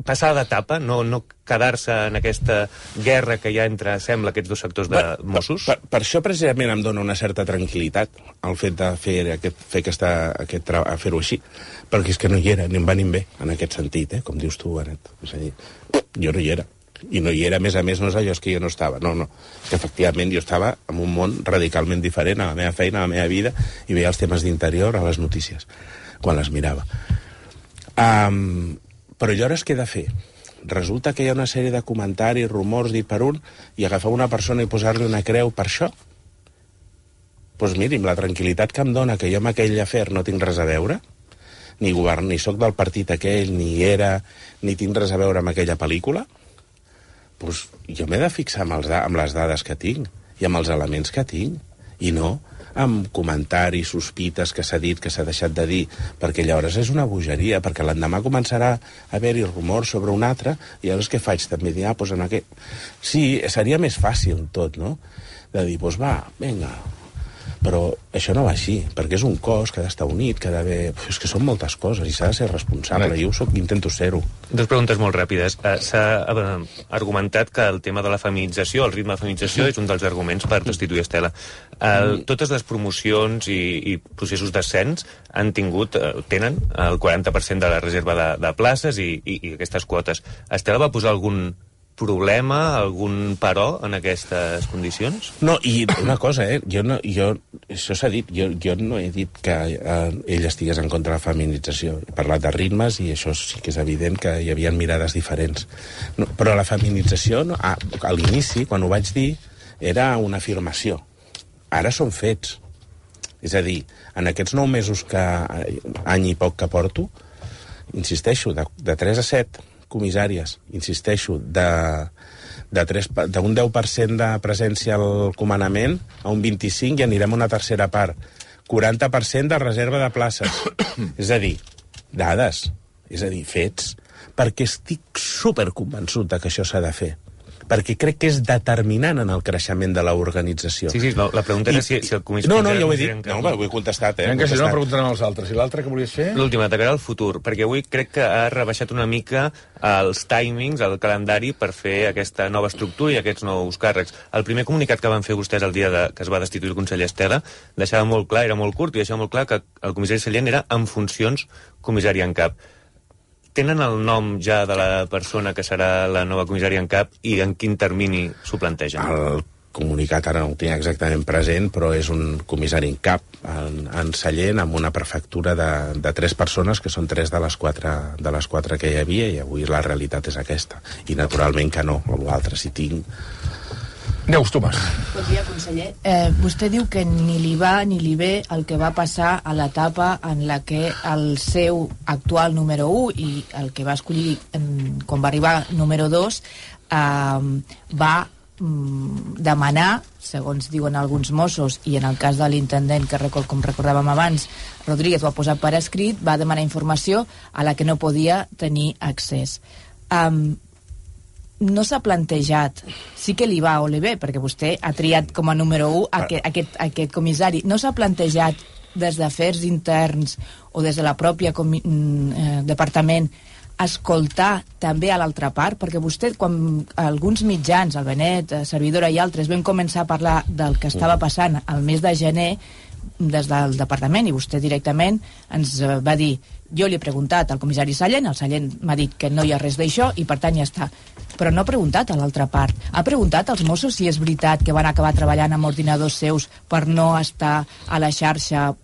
passar d'etapa, no quedar-se en aquesta guerra que hi ha entre, sembla, aquests dos sectors de Mossos? Per això precisament em dona una certa tranquil·litat el fet de fer-ho així, perquè és que no hi era, ni em va ni bé, en aquest sentit, com dius tu, Benet. És a dir, jo no hi era. I no hi era, a més, no és allò que jo no estava. No. És que, efectivament, jo estava en un món radicalment diferent a la meva feina, a la meva vida, i veia els temes d'interior a les notícies, quan les mirava. Però llavors què he de fer? Resulta que hi ha una sèrie de comentaris, rumors dit per un, i agafar una persona i posar-li una creu per això? Doncs miri, amb la tranquil·litat que em dona que jo amb aquell afer no tinc res a veure, ni govern, ni soc del partit aquell, ni era, ni tinc res a veure amb aquella pel·lícula, doncs jo m'he de fixar amb les dades que tinc i amb els elements que tinc, i no amb comentaris, sospites que s'ha dit, que s'ha deixat de dir, perquè llavors és una bogeria, perquè l'endemà començarà a haver-hi rumors sobre un altre, i llavors què faig? També dir, doncs en aquest... Sí, seria més fàcil tot, no? De dir, doncs va, vinga. Però això no va així, perquè és un cos que ha d'estar unit, que ha d'haver... És que són moltes coses i s'ha de ser responsable. Jo intento ser-ho. Dues preguntes molt ràpides. S'ha argumentat que el tema de la feminització, el ritme de feminització, és un dels arguments per destituir Estela. Totes les promocions i processos d'ascens tenen el 40% de la reserva de places i aquestes quotes. Estela va posar algun problema, algun però en aquestes condicions? No, i una cosa, això s'ha dit, jo no he dit que ell estigués en contra de la feminització. He parlat de ritmes i això sí que és evident que hi havia mirades diferents. No, però la feminització, no, a l'inici, quan ho vaig dir, era una afirmació. Ara són fets. És a dir, en aquests 9 mesos any i poc que porto, insisteixo, de 3 a 7 comissàries, insisteixo, d'un 10% de presència al comandament a un 25% i anirem a una tercera part. 40% de reserva de places. És a dir, dades, és a dir, fets, perquè estic superconvençut que això s'ha de fer. Perquè crec que és determinant en el creixement de l'organització. Sí, la pregunta era si el comissari... No, ja ho he dit. No, ho he contestat, Vinga, si no, preguntaran els altres. I l'altre que volies fer? L'última, de cara al futur, perquè avui crec que ha rebaixat una mica els timings, el calendari, per fer aquesta nova estructura i aquests nous càrrecs. El primer comunicat que van fer vostès el dia que es va destituir el conseller Estela deixava molt clar, era molt curt, i deixava molt clar que el comissari Sallent era en funcions comissari en cap. Tenen el nom ja de la persona que serà la nova comissària en cap i en quin termini s'ho plantegen? El comunicat ara no ho tinc exactament present, però és un comissari en cap en Sallent amb una prefectura de 3 persones, que són 3 de les 4 que hi havia, i avui la realitat és aquesta. I naturalment que no, l'altre si tinc... Neus, Tomàs. Bon dia, conseller. Vostè diu que ni li va ni li ve el que va passar a l'etapa en la que el seu actual número 1 i el que va escollir quan va arribar número 2 va demanar, segons diuen alguns Mossos, i en el cas de l'intendent, que com recordàvem abans, Rodríguez ho ha posat per escrit, va demanar informació a la que no podia tenir accés. No s'ha plantejat, sí que li va o li ve, perquè vostè ha triat com a número 1 aquest comissari, no s'ha plantejat des d'afers interns o des de la pròpia departament escoltar també a l'altra part, perquè vostè, quan alguns mitjans, el Benet, Servidora i altres, vam començar a parlar del que estava passant al mes de gener des del departament, i vostè directament ens va dir, jo li he preguntat al comissari Sallent, el Sallent m'ha dit que no hi ha res d'això i per tant ja està, però no ha preguntat a l'altra part, ha preguntat als Mossos si és veritat que van acabar treballant amb ordinadors seus per no estar a la xarxa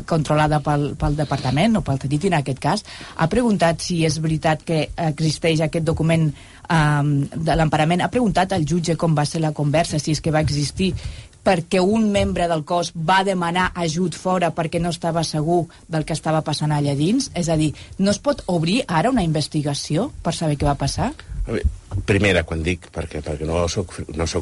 controlada pel departament o pel CEDIT en aquest cas, ha preguntat si és veritat que existeix aquest document de l'emparament, ha preguntat al jutge com va ser la conversa, si és que va existir, perquè un membre del cos va demanar ajut fora perquè no estava segur del que estava passant allà dins? És a dir, no es pot obrir ara una investigació per saber què va passar? Primera, quan dic, perquè no soc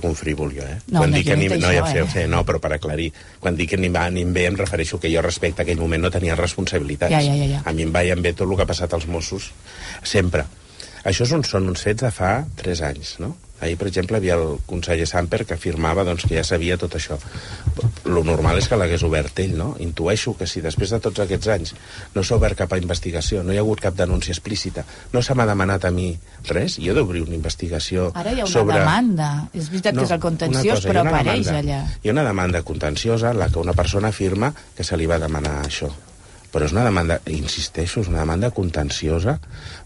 un frívol jo, No, no, però per aclarir, quan dic que ni va ni em ve em refereixo que jo respecte a aquell moment no tenia responsabilitats. Ja. A mi em va i em ve tot el que ha passat als Mossos, sempre. Això són uns fets de fa 3 anys, no? Ahir, per exemple, hi havia el conseller Samper que afirmava que ja sabia tot això. Lo normal és que l'hagués obert ell, no? Intueixo que si després de tots aquests anys no s'ha obert cap investigació, no hi ha hagut cap denúncia explícita, no se m'ha demanat a mi res, jo he d'obrir una investigació sobre... Ara hi ha una demanda. És veritat que és el contenciós, però apareix allà. Hi ha una demanda contenciosa en la que una persona afirma que se li va demanar això. Però és una demanda, insisteixo, és una demanda contenciosa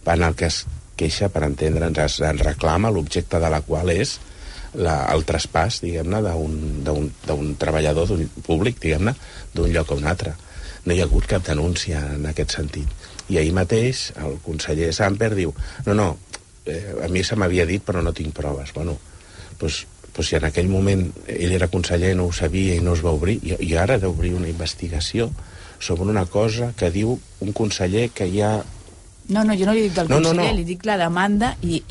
en el que es queixa, per entendre'ns, es reclama l'objecte de la qual és el traspàs, diguem-ne, d'un treballador públic, diguem-ne, d'un lloc a un altre. No hi ha hagut cap denúncia en aquest sentit. I ahir mateix el conseller Samper diu a mi se m'havia dit però no tinc proves. Bueno, doncs si en aquell moment ell era conseller, no ho sabia i no es va obrir, i ara ha d'obrir una investigació sobre una cosa que diu un conseller que ja... No, jo no li dic del conseller, li dic la demanda i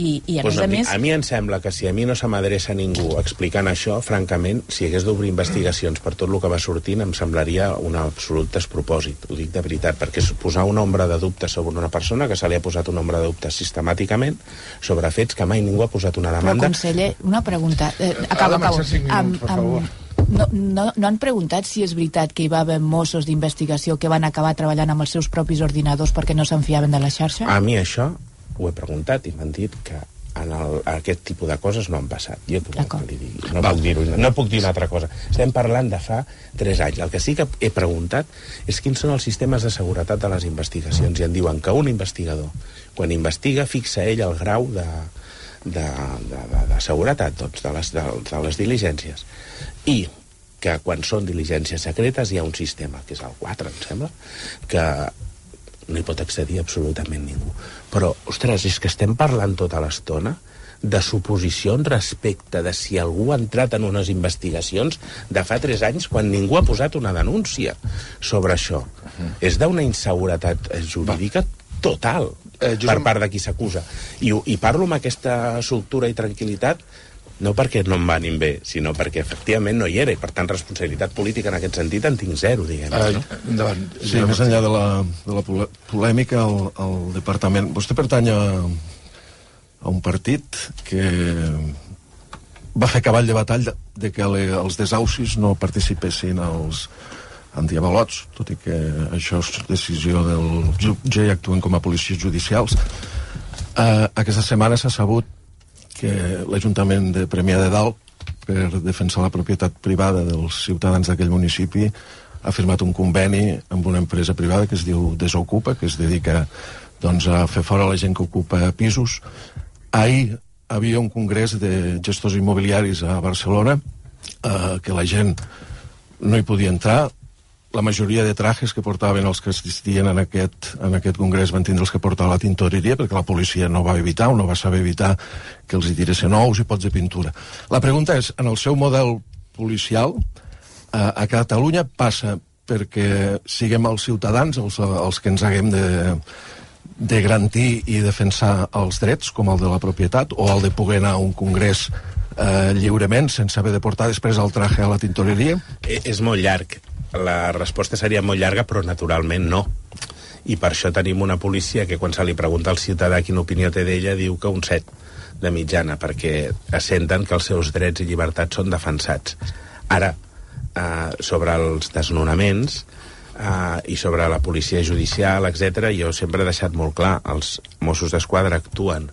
a més a més... A mi em sembla que si a mi no se m'adreça ningú explicant això, francament, si hagués d'obrir investigacions per tot el que va sortint, em semblaria un absolut despropòsit, ho dic de veritat, perquè és posar una ombra de dubte sobre una persona que se li ha posat una ombra de dubte sistemàticament sobre fets que mai ningú ha posat una demanda. Però, conseller, una pregunta. Acabo. Per favor. No han preguntat si és veritat que hi va haver Mossos d'investigació que van acabar treballant amb els seus propis ordinadors perquè no se'n fiaven de la xarxa? A mi això ho he preguntat i m'han dit que aquest tipus de coses no han passat. Jo què vol que li digui? No puc dir una altra cosa. Estem parlant de fa 3 anys. El que sí que he preguntat és quins són els sistemes de seguretat de les investigacions. I em diuen que un investigador, quan investiga, fixa ell el grau de seguretat de les diligències. I que quan són diligències secretes hi ha un sistema, que és el 4, em sembla, que no hi pot accedir absolutament ningú. Però, ostres, és que estem parlant tota l'estona de suposicions respecte de si algú ha entrat en unes investigacions de fa 3 anys quan ningú ha posat una denúncia sobre això. És d'una inseguretat jurídica total per part de qui s'acusa. I parlo amb aquesta soltura i tranquil·litat no perquè no em vanin bé, sinó perquè efectivament no hi era, i per tant responsabilitat política en aquest sentit en tinc 0, diguem. Endavant. Sí, més enllà de la polèmica, el departament... Vostè pertany a un partit que va fer cavall de batall de que els desaucis no participessin als antiavalots, tot i que això és decisió del jutge i actuen com a policies judicials. Aquesta setmana s'ha sabut que l'Ajuntament de Premià de Dalt, per defensar la propietat privada dels ciutadans d'aquell municipi, ha firmat un conveni amb una empresa privada que es diu Desocupa, que es dedica a fer fora la gent que ocupa pisos. Ahir havia un congrés de gestors immobiliaris a Barcelona, que la gent no hi podia entrar. La majoria de trajes que portaven els que assistien en aquest congrés van tindre els que portar la tintoreria, perquè la policia no va evitar o no va saber evitar que els hi tiressin ous i pots de pintura. La pregunta és, en el seu model policial, a Catalunya passa perquè siguem els ciutadans els que ens haguem de garantir i defensar els drets, com el de la propietat, o el de poder anar a un congrés lliurement, sense haver de portar després el traje a la tintoreria? És molt llarg. La resposta seria molt llarga, però naturalment no. I per això tenim una policia que quan se li pregunta al ciutadà quina opinió té d'ella diu que un 7 de mitjana, perquè senten que els seus drets i llibertats són defensats. Ara, sobre els desnonaments i sobre la policia judicial, etc., jo sempre he deixat molt clar, els Mossos d'Esquadra actuen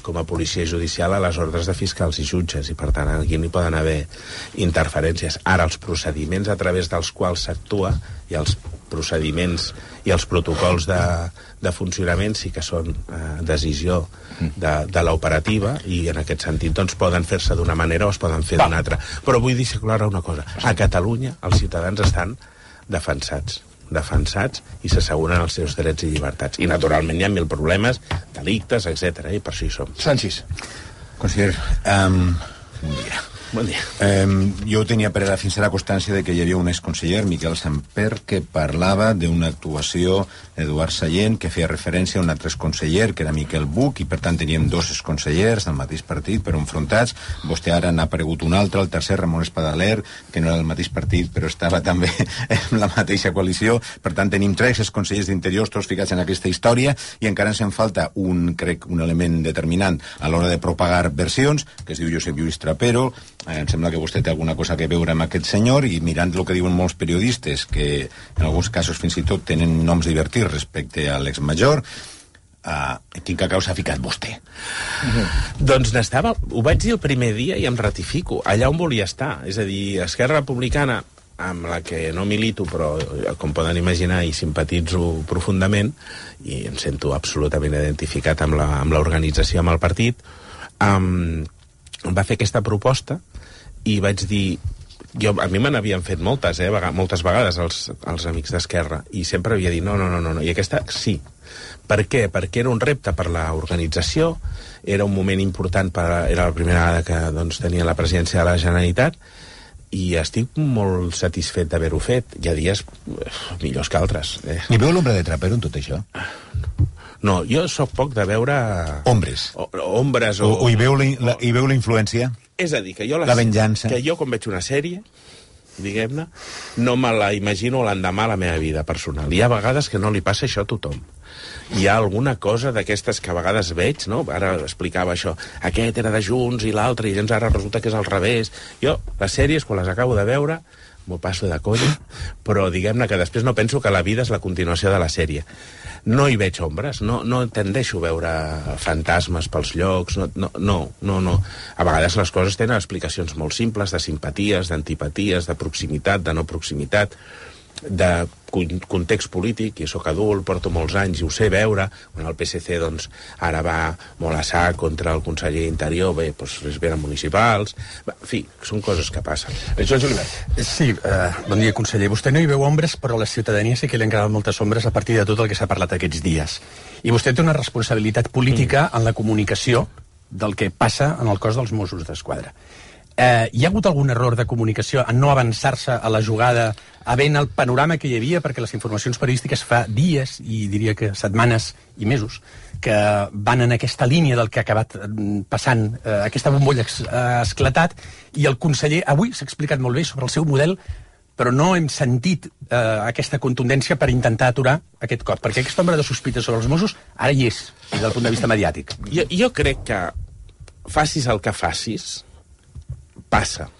com a policia judicial a les ordres de fiscals i jutges, i per tant aquí no hi poden haver interferències. Ara, els procediments a través dels quals s'actua i els procediments i els protocols de funcionament sí que són decisió de l'operativa, i en aquest sentit doncs poden fer-se d'una manera o es poden fer d'una altra. Però vull deixar clara una cosa: a Catalunya els ciutadans estan defensats i s'asseguren els seus drets i llibertats. I, naturalment, hi ha 1000 problemes, delictes, etc. I per això hi som. Sánchez. Conseller, bon dia. Bon dia. Jo tenia per la sincera constància de que hi havia un exconseller, Miquel Samper, que parlava d'una actuació d'Eduard Sallent que feia referència a un altre exconseller, que era Miquel Buch, i per tant teníem 2 exconsellers del mateix partit, però enfrontats. Vostè ara n'ha aparegut un altre, el tercer, Ramon Espadaler, que no era del mateix partit, però estava també en la mateixa coalició. Per tant, tenim 3 exconsellers d'Interior, tots ficats en aquesta història, i encara ens en falta un element determinant a l'hora de propagar versions, que es diu Josep Lluís Trapero. Em sembla que vostè té alguna cosa a veure amb aquest senyor, i mirant el que diuen molts periodistes, que en alguns casos fins i tot tenen noms divertits respecte a l'ex-major, quin cacau s'ha ficat vostè? Doncs ho vaig dir el primer dia i em ratifico, allà on volia estar. És a dir, Esquerra Republicana, amb la que no milito, però com poden imaginar hi simpatitzo profundament, i em sento absolutament identificat amb l'organització, amb el partit, va fer aquesta proposta i vaig dir... A mi me n'havien fet moltes vegades els amics d'Esquerra, i sempre havia dit no, i aquesta sí. Per què? Perquè era un repte per l'organització, era un moment important, era la primera vegada que tenia la presidència de la Generalitat, i estic molt satisfet d'haver-ho fet. Hi ha dies millors que altres. Ni veu l'ombra de Trapero en tot això? No, jo sóc poc de veure... Ombres. Ombres o... Hi veu la influència? És a dir, que jo la venjança. Que jo quan veig una sèrie diguem-ne, no me la imagino l'endemà a la meva vida personal. Hi ha vegades que no li passa això a tothom. Hi ha alguna cosa d'aquestes que a vegades veig, no? Ara explicava això, aquest era de Junts i l'altre, i llavors ara resulta que és al revés. Jo, les sèries, quan les acabo de veure, m'ho passo de conya, però diguem-ne que després no penso que la vida és la continuació de la sèrie. No hi veig ombres, no tendeixo a veure fantasmes pels llocs, no. A vegades les coses tenen explicacions molt simples, de simpaties, d'antipaties, de proximitat, de no proximitat, de context polític, i sóc adult, porto molts anys i ho sé veure, quan el PSC doncs, ara va molt a sac contra el conseller d'Interior, bé, doncs venen municipals, en fi, són coses que passen. Joan Julivert. Sí, bon dia, conseller. Vostè no hi veu ombres, però a la ciutadania sí que li han quedat moltes ombres a partir de tot el que s'ha parlat aquests dies. I vostè té una responsabilitat política en la comunicació del que passa en el cos dels Mossos d'Esquadra. Hi ha hagut algun error de comunicació en no avançar-se a la jugada havent el panorama que hi havia, perquè les informacions periodístiques fa dies, i diria que setmanes i mesos, que van en aquesta línia del que ha acabat passant, aquesta bombolla ha esclatat, i el conseller avui s'ha explicat molt bé sobre el seu model, però no hem sentit aquesta contundència per intentar aturar aquest cop, perquè aquesta ombra de sospita sobre els Mossos ara hi és, des del punt de vista mediàtic. Jo crec que facis el que facis, passa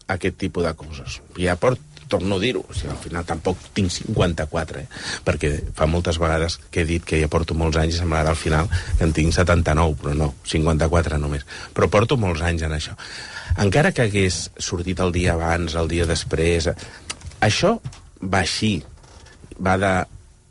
aquest tipus de coses. Ja torno a dir-ho, o sigui, al final tampoc tinc 54, perquè fa moltes vegades que he dit que ja porto molts anys i semblarà al final que en tinc 79, però no, 54 només. Però porto molts anys en això. Encara que hagués sortit el dia abans, el dia després, això va així, va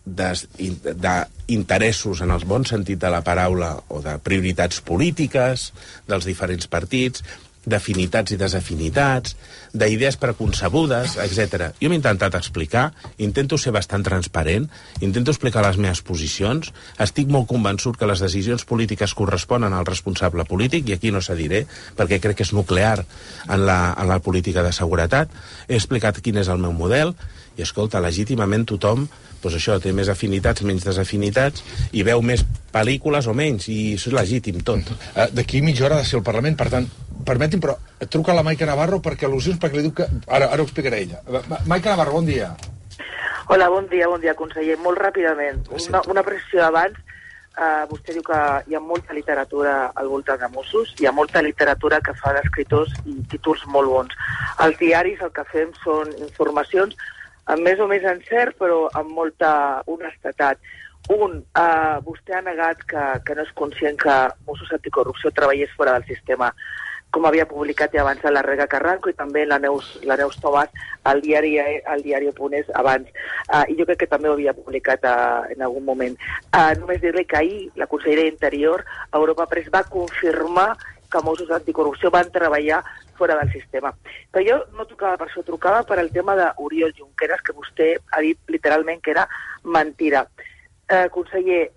d'interessos en el bon sentit de la paraula o de prioritats polítiques dels diferents partits, d'afinitats i desafinitats, d'idees preconcebudes, etc. Jo m'he intentat explicar, intento ser bastant transparent, intento explicar les meves posicions, estic molt convençut que les decisions polítiques corresponen al responsable polític, i aquí no cediré, perquè crec que és nuclear en la política de seguretat. He explicat quin és el meu model, i escolta, legítimament tothom doncs això, té més afinitats, menys desafinitats, i veu més pel·lícules o menys, i això és legítim tot. D'aquí mitja hora ha de ser el Parlament, per tant, permeti'm, però truca a la Maica Navarro perquè al·lusions, perquè li diu que... Ara ho explicarà ella. Maica Navarro, bon dia. Hola, bon dia, conseller. Molt ràpidament, una precisió abans. Vostè diu que hi ha molta literatura al voltant de Mossos, hi ha molta literatura que fa d'escriptors i títols molt bons. Els diaris el que fem són informacions amb més o més encert, però amb molta honestedat. Vostè ha negat que no és conscient que Mossos Anticorrupció treballés fora del sistema, com havia publicat ja abans la Rega Carranco i també la Neus Tomàs al diari.es abans. I jo crec que també ho havia publicat en algun moment. Només dir-li que ahir la consellera d'Interior, Europa Press, va confirmar que Mossos Anticorrupció van treballar fora del sistema. Però jo no trucava per això, trucava per al tema d'Oriol Junqueras, que vostè ha dit literalment que era mentira. Conseller,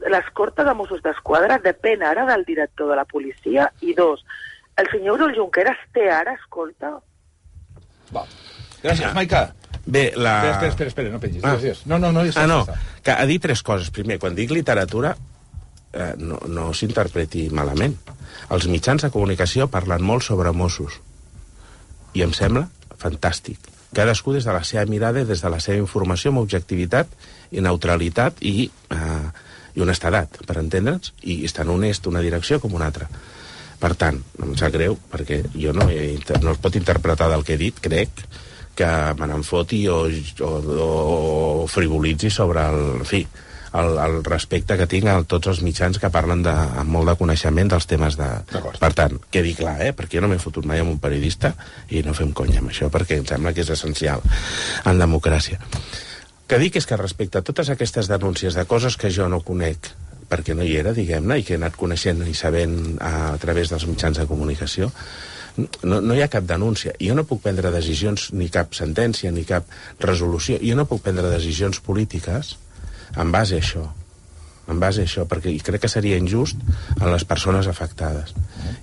l'escorta de Mossos d'Esquadra depèn ara del director de la policia, i dos, el senyor Oriol Junqueras té ara escolta? Va. Gràcies, Maica. Bé, Espera, no pengis. Gràcies. No, que ha dit tres coses. Primer, quan dic literatura, no s'interpreti malament. Els mitjans de comunicació parlen molt sobre Mossos, i em sembla fantàstic. Cadascú des de la seva mirada, des de la seva informació, amb objectivitat i neutralitat i honestedat, per entendre'ns, i és tan honest una direcció com una altra. Per tant, no em sap greu, perquè jo no es pot interpretar del que he dit, crec, que me n'enfoti o frivolitzi sobre el respecte que tinc a tots els mitjans que parlen amb molt de coneixement dels temes de... Per tant, quedi clar, perquè jo no m'he fotut mai amb un periodista i no fem conya amb això, perquè em sembla que és essencial en democràcia. Que dic és que respecte a totes aquestes denúncies de coses que jo no conec, perquè no hi era, diguem-ne, i que he anat coneixent i sabent a través dels mitjans de comunicació, no hi ha cap denúncia. Jo no puc prendre decisions, ni cap sentència, ni cap resolució. Jo no puc prendre decisions polítiques en base a això, perquè crec que seria injust a les persones afectades.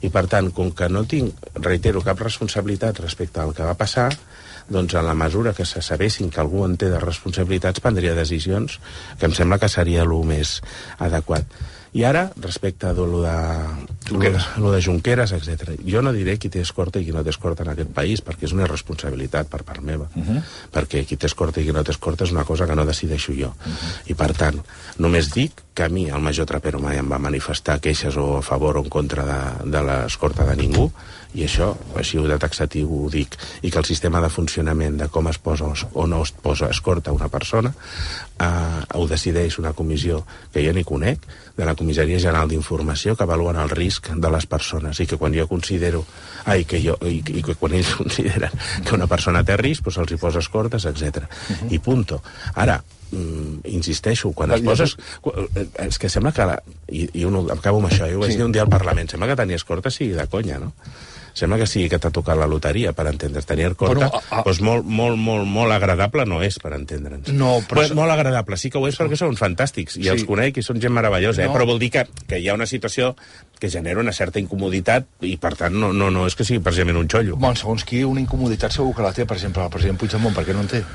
I per tant, com que no tinc, reitero, cap responsabilitat respecte al que va passar, doncs en la mesura que se sabessin que algú en té de responsabilitats, prendria decisions que em sembla que seria el més adequat. I ara, respecte a lo de Junqueras, etc. Jo no diré qui té escorta i qui no té escorta en aquest país, perquè és una irresponsabilitat per part meva. Perquè qui té escorta i qui no té escorta és una cosa que no decideixo jo. I, per tant, només dic que a mi el major Trapero mai em va manifestar queixes o a favor o en contra de l'escorta de ningú, i això, així de taxatiu ho dic, i que el sistema de funcionament de com es posa o no es posa escorta una persona ho decideix una comissió que jo ni conec, de la Comissaria General d'Informació, que avaluen el risc de les persones, i que quan jo considero i que quan ells consideren que una persona té risc, doncs els hi posa escortes, etc. I punto. Ara, insisteixo, quan es poses... És que sembla que... I acabo amb això, jo ho vaig dir un dia al Parlament, sembla que tenir escorta sigui de conya, no? Sembla que sigui que t'ha tocat la loteria, per entendre's. Tenir escorta, doncs molt agradable no és, per entendre'ns. No, però... Molt agradable, sí que ho és perquè són fantàstics, i els conec i són gent meravellosa, però vol dir que hi ha una situació que genera una certa incomoditat i, per tant, no és que sigui precisament un xollo. Bon, segons qui, una incomoditat segur que la té, per exemple, el president Puigdemont, per què no en té?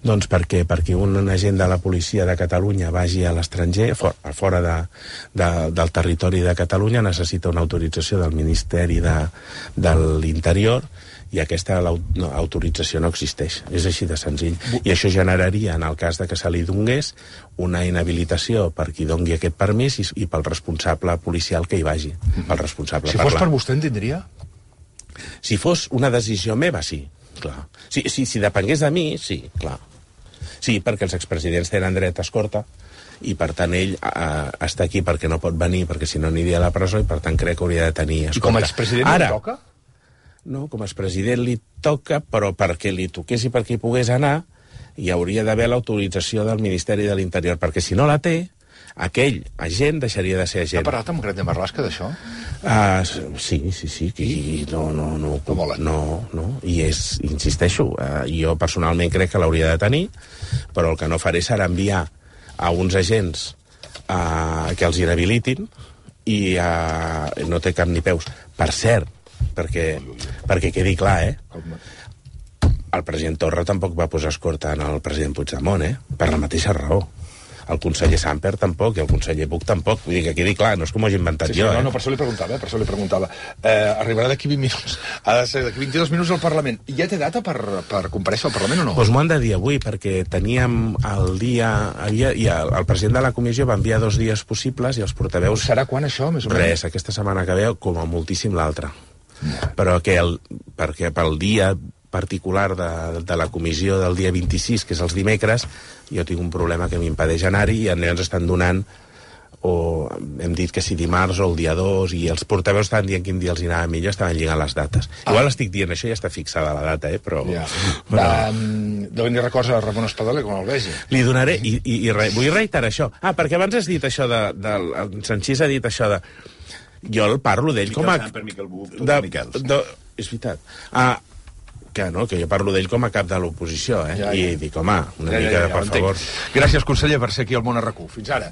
Doncs perquè un agent de la policia de Catalunya vagi a l'estranger, fora del territori de Catalunya, necessita una autorització del Ministeri de l'Interior, i aquesta autorització no existeix. És així de senzill. I això generaria, en el cas de que se li donés, una inhabilitació per qui dongui aquest permís i pel responsable policial que hi vagi. Si fos per vostè, en tindria? Si fos una decisió meva, sí, clar. Si depengués de mi, sí, clar. Sí, perquè els expresidents tenen dret a escorta i, per tant, ell està aquí perquè no pot venir, perquè si no aniria a la presó, i, per tant, crec que hauria de tenir escorta. I com a expresident li toca? No, com a expresident li toca, però perquè li toqués i perquè hi pogués anar, hi hauria d'haver l'autorització del Ministeri de l'Interior, perquè si no la té, aquell agent deixaria de ser agent. Ha parlat amb Gret de Marlaska d'això? Sí. I no. I insisteixo, jo personalment crec que l'hauria de tenir, però el que no faré serà enviar a uns agents que els inhabilitin i no té cap ni peus. Per cert, perquè quedi clar, el president Torra tampoc va posar escorta en el president Puigdemont, per la mateixa raó. El conseller Samper tampoc, i el conseller Buch tampoc. Vull dir que quedi clar, no és com ho hagi inventat jo. No, per això li preguntava. Arribarà d'aquí 20 minuts. Ha de ser d'aquí 22 minuts al Parlament. Ja té data per comparèixer al Parlament o no? Doncs m'ho han de dir avui, perquè teníem el dia... I el president de la comissió va enviar 2 dies possibles i els portaveus... Serà quan això, més o menys? Res, aquesta setmana que ve, com a moltíssim l'altra. Però perquè pel dia particular de la comissió del dia 26, que és els dimecres, jo tinc un problema que m'impedeix anar-hi, i ens estan donant, o hem dit que si dimarts o el dia 2, i els portaveus estaven dient quin dia els anava millor, estaven lligant les dates. Igual estic dient això, ja està fixada la data, però... Doni records a Ramon Espadaler, com el vegi. Li donaré, i vull reiterar això. Perquè abans has dit això el Sanchís ha dit això de... Jo el parlo d'ell com a... Miquel Buch, és veritat. Que jo parlo d'ell com a cap de l'oposició, i dic, home, una mica, per favor. Gràcies, conseller, per ser aquí al Món a RAC1. Fins ara.